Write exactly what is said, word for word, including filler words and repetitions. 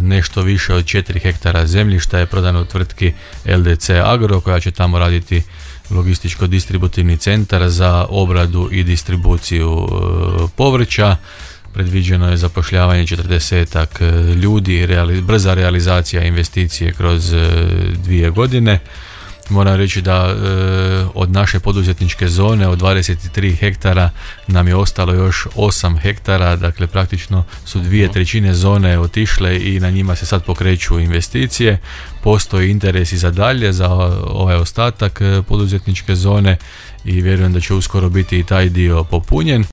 nešto više od četiri hektara zemljišta je prodano tvrtki L D C Agro koja će tamo raditi logističko-distributivni centar za obradu i distribuciju povrća. Predviđeno je zapošljavanje četrdesetak ljudi, reali, brza realizacija investicije kroz dvije godine. Moram reći da e, od naše poduzetničke zone od dvadeset tri hektara nam je ostalo još osam hektara, dakle praktično su dvije trećine zone otišle i na njima se sad pokreću investicije. Postoji interes i za dalje za ovaj ostatak poduzetničke zone i vjerujem da će uskoro biti i taj dio popunjen.